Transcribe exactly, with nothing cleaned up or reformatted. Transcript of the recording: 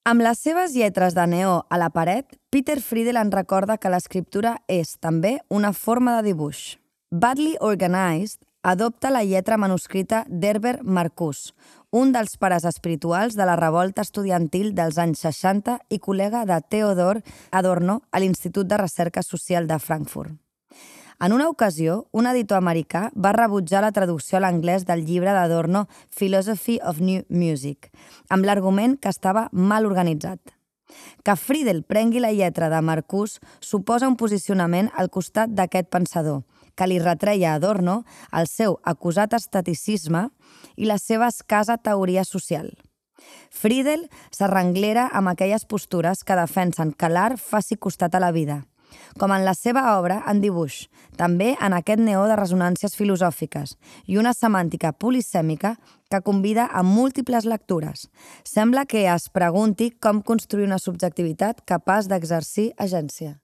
Amb les seves lletres de neó a la paret, Peter Friedel en recorda que l'escriptura és, també, una forma de dibuix. Badly Organized adopta la lletra manuscrita d'Herbert Marcuse, un dels pares espirituals de la revolta estudiantil dels anys seixanta i col·lega de Theodor Adorno a l'Institut de Recerca Social de Frankfurt. En una ocasió, un editor americà va rebutjar la traducció a l'anglès del llibre d'Adorno Philosophy of New Music, amb l'argument que estava mal organitzat. Que Friedel prengui la lletra de Marcuse suposa un posicionament al costat d'aquest pensador, que li retreia a Adorno el seu acusat esteticisme i la seva escassa teoria social. Friedel s'arrenglera amb aquelles postures que defensen que l'art faci costat a la vida, com en la seva obra en dibuix, també en aquest neó de ressonàncies filosòfiques i una semàntica polisèmica que convida a múltiples lectures. Sembla que es pregunti com construir una subjectivitat capaç d'exercir agència.